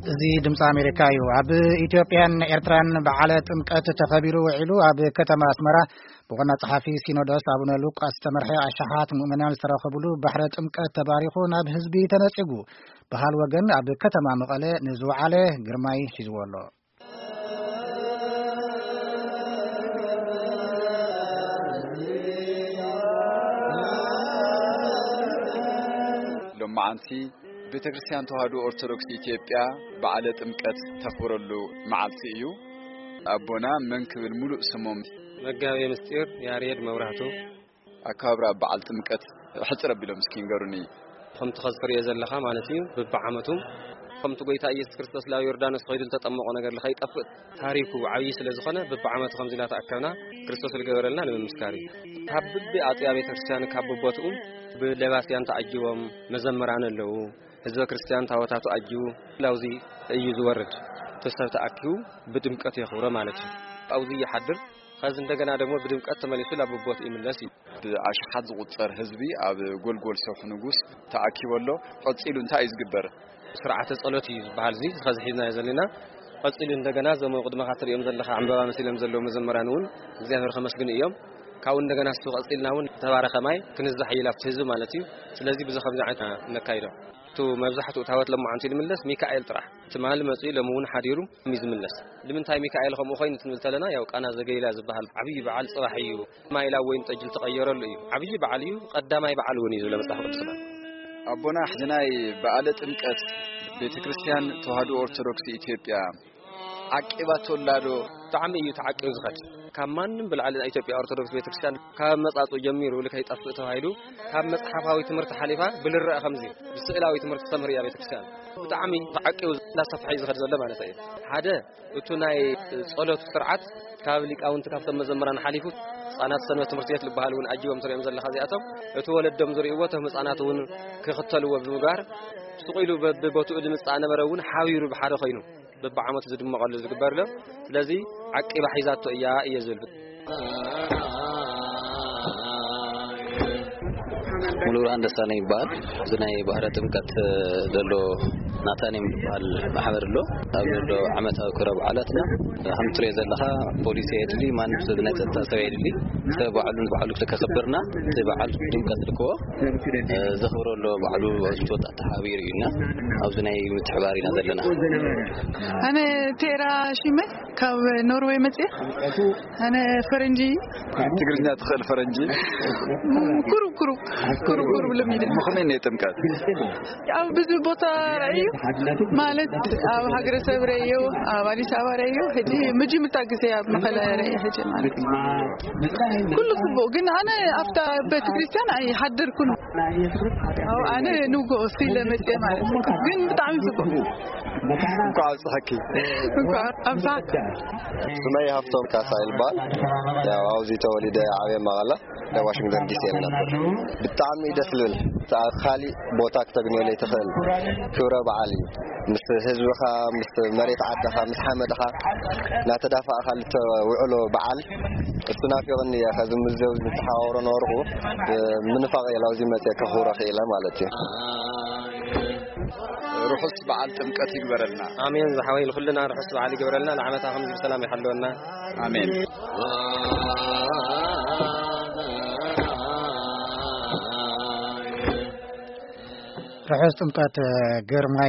እዚ ድምፂ ኣሜሪካ እዩ። ኣብ ኢትዮጵያን ኤርትራን በዓለ ጥምቀት ተኸቢሩ ውዒሉ። ኣብ ከተማ ኣስመራ ብዋና ጸሓፊ ሲኖዶስ ኣቡነ ሉቃስ ዝተመርሐ ኣሽሓት ምእመናን ዝተረኸብሉ ባሕረ ጥምቀት ተባሪኹ ናብ ህዝቢ ተነጺጉ። በሃል ወገን ኣብ ከተማ መቐለ ንዝወዓለ ግርማይ ሒዝዎ ኣሎ። ሎማዓንቲ ቤተ ክርስቲያን ተዋህዶ ኦርቶዶክስ ኢትዮጵያ በዓለ ጥምቀት ተኽብረሉ መዓልቲ እዩ። ኣቦና መን ክብል ሙሉእ ስሞም? መጋቤ ምስጢር ያሬድ መብራህቱ። ኣከባብራ በዓል ጥምቀት ሕጽር ኣቢሎም እስኪ ንገሩኒ። ከምቲ ኸዚ ትርእዮ ዘለኻ ማለት እዩ፣ በብዓመቱ ከምቲ ጎይታ ኢየሱስ ክርስቶስ ላብ ዮርዳኖስ ኸይዱ ዝተጠመቖ ነገር ከይጠፍእ ታሪኩ ዓብዪ ስለ ዝኾነ፣ በብዓመቱ ከምዚ ኢልና ተኣከብና ክርስቶስ ዝገበረልና ንምምስካር እዩ። ካብ ብቢ ኣጥቢያ ቤተ ክርስቲያን ካብ ብቦትኡ ብለባስያን ተዓጅቦም መዘምራን ኣለዉ። ህዝበ ክርስቲያን ታቦታቱ ኣጅቡ ላውዚ እዩ ዝወርድ። እቲ ሰብ ተኣኪቡ ብድምቀት የኽብሮ ማለት እዩ። ኣብዚ ይሓድር፣ ከዚ እንደገና ደግሞ ብድምቀት ተመሊሱ ላብ ቦት ይምለስ እዩ። ብኣሽሓት ዝቑጸር ህዝቢ ኣብ ጎልጎል ሰብሒ ንጉስ ተኣኪቡ ኣሎ። ቀጺሉ እንታይ እዩ ዝግበር? ስርዓተ ጸሎት እዩ ዝበሃል እዚ፣ ከዚ ሒዝናዮ ዘለና። ቀጺሉ እንደገና እዞም ኣብ ቅድመኻ ትርእዮም ዘለኻ ዕምበባ መሲሎም ዘለዉ መዘምራን እውን እግዚኣብሔር ከመስግኑ እዮም። ካብኡ እንደገና እሱ ቀጺልና እውን ተባረኸ ማይ ክንዛሕ ይብል ኣብቲ ህዝቢ ማለት እዩ። ስለዚ ብዚ ከምዚ ዓይነት ነካይዶ። እቱ መብዛሕትኡ ታወት ለማዓንቲ ዝምለስ ሚካኤል ጥራሕ። ትማሊ መጺኡ ሎሚ እውን ሓዲሩ እዩ ዝምለስ። ንምንታይ ሚካኤል ከምኡ ኮይኑ ትንብል ተለና፣ ያው ቃና ዘገሊላ ዝበሃል ዓብዪ በዓል ጽባሕ እዩ። ማይ ላብ ወይን ጠጅ ዝተቐየረሉ እዩ። ዓብዪ በዓል እዩ። ቀዳማይ በዓል እውን እዩ ዝብለ መጽሓፍ ቅዱስና። ኣቦና፣ ሕዚ ናይ በዓለ ጥምቀት ቤተ ክርስቲያን ተዋህዶ ኦርቶዶክስ ኢትዮጵያ ዓቂባቶ ኣላ ዶ? ብጣዕሚ እዩ ተዓቂቡ ዝኸድ። ካብ ማንም ብላዕሊ ናይ ኢትዮጵያ ኦርቶዶክስ ቤተክርስትያን ካብ መጻጽኡ ጀሚሩ ኢሉ ከይጠፍእ ተባሂሉ ካብ መጽሓፋዊ ትምህርቲ ሓሊፋ ብልረአ ከምዚ ብስእላዊ ትምህርቲ ተስተምህር እያ ቤተክርስትያን። ብጣዕሚ ተዓቂቡ እናሰፍሐ እዩ ዝኸድ ዘሎ ማለት እዩ። ሓደ እቱ ናይ ጸሎት ስርዓት ካብ ሊቃውንቲ ካብቶም መዘምራን ሓሊፉ ህጻናት ሰንበት ትምህርቲ ቤት ዝበሃል እውን ኣጅቦም ትሪኦም ዘለኻ እዚኣቶም እቲ ወለዶም ዝርእይዎ እቶም ህጻናት እውን ክኽተልዎ ብምግባር ስቕ ኢሉ በብቦትኡ ዝምጻእ ነበረ እውን ሓቢሩ ብሓደ ኮይኑ በብዓመቱ ዝድመቐሉ ዝግበር ኣሎ። ስለዚ ዓቂባ ሒዛቶ እያ እየ ዝብል። ሙሉብርሃን ደሳለኝ ይበሃል። እዚ ናይ ባህረ ጥምቀት ዘሎ ናታኒም ዝበሃል ማሕበር ኣሎ። ኣብ ዘሎ ዓመታዊ ክብረ በዓላትና ከም ትሪኦ ዘለኻ ፖሊስ የድሊ፣ ማንም ሰብ ናይ ጸጥታ ሰብ የድሊ። ሰብ ባዕሉ ንባዕሉ ከኽብርና እቲ በዓል ድምቀት ልክዎ ዘኽብሮ ኣሎ። ባዕሉ ወጣት ተሓቢሩ እዩና ኣብዚ ናይ ምትሕባር ኢና ዘለና። ኣነ ቴራ ሽመ ካብ ኖርዌይ መጽየ። ኣነ ፈረንጂ። ትግርኛ ትኽእል ፈረንጂ? ቁሩብ ቁሩብ ቁሩብ ቁሩብ ልምድ። ምኽንያት ጥምቀት ኣብ ብዙ ቦታ ርእዩ ማለት ኣብ ሃገረ ሰብ ርእዩ ኣብ ኣዲስ ኣበባ ርእዩ ሕጂ ምጅምታ ግዜ ኣብ መቐለ ርእዩ ሕጂ ማለት ኩሉ ጽቡቕ ግን ኣነ ኣብታ ቤተ ክርስቲያን ኣይሓደርኩን። ኣው ኣነ ንጎ ሲለ መጽየ ማለት ግን ብጣዕሚ ጽቡቕ። እንኳዕ ኣብጽሐኪ። እንኳዕ ኣብጽሐኪ። ስመይ ሃፍቶም ካሳ ይልባል። ያው ኣብዚ ተወሊደ ዓብየ መቐለ ናይ ዋሽንግተን ዲሲ የልነበር። ብጣዕሚ ደስ ልብል። ካሊእ ቦታ ክተግንዮ ለይትኽእል ክብረ በዓል እዩ። ምስ ህዝብኻ፣ ምስ መሬት ዓድኻ፣ ምስ ሓመድኻ እናተዳፋእካ ልተውዕሎ በዓል እሱ ናፊቕኒ እየ። ከዚ ምስ ዘው ዝተሓዋወሮ ነበርኩ። ምንፋቕ እየ ላውዚ መፅየ ከኽብሮ ክኢለ ማለት እዩ። ርሑስ በዓል ጥምቀት ይግበረልና። ኣሜን ዝሓወይ፣ ንኹልና ርሑስ በዓል ይግበረልና። ንዓመታ ከምዚ ብሰላም ይሓልወና። ኣሜን። ርሑስ ጥምቀት ግርማይ።